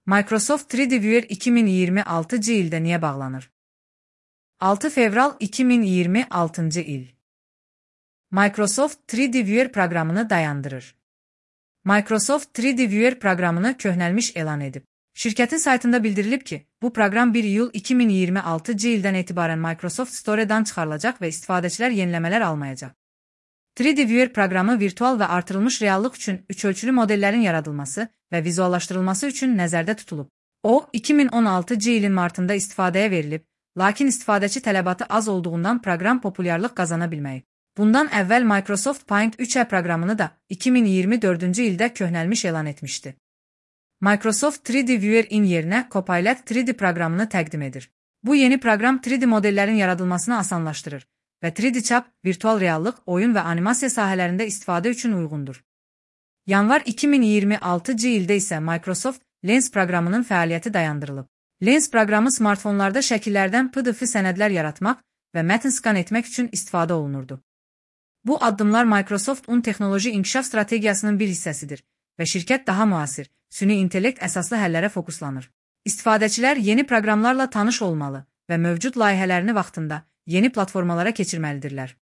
Microsoft 3D Viewer 2026 ildə niyə bağlanır? 6 fevral 2026 il. Microsoft 3D Viewer proqramını dayandırır. Microsoft 3D Viewer proqramını köhnəlmiş elan edib. Şirkətin saytında bildirilib ki, bu proqram 1 iyul 2026 ildən etibarən Microsoft Store'dan çıxarılacaq və istifadəçilər yeniləmələr almayacaq. 3D Viewer proqramı virtual və artırılmış reallıq üçün üçölçülü modellərin yaradılması və vizuallaşdırılması üçün nəzərdə tutulub. O, 2016 ilin martında istifadəyə verilib, lakin istifadəçi tələbatı az olduğundan proqram populyarlıq qazana bilməyib. Bundan əvvəl Microsoft Paint 3 proqramını da 2024 ildə köhnəlmiş elan etmişdi. Microsoft 3D Viewer-in yerinə Copilot 3D proqramını təqdim edir. Bu yeni proqram 3D modellərin yaradılmasını asanlaşdırır və 3D çap, virtual reallıq, oyun və animasiya sahələrində istifadə üçün uyğundur. Yanvar 2026 ildə isə Microsoft Lens proqramının fəaliyyəti dayandırılıb. Lens proqramı smartfonlarda şəkillərdən PDF sənədlər yaratmaq və mətn skan etmək üçün istifadə olunurdu. Bu addımlar Microsoft-un texnoloji inkişaf strategiyasının bir hissəsidir və şirkət daha müasir, süni intellekt əsaslı həllərə fokuslanır. İstifadəçilər yeni proqramlarla tanış olmalı və mövcud layihələrini vaxtında yeni platformalara keçirməlidirlər.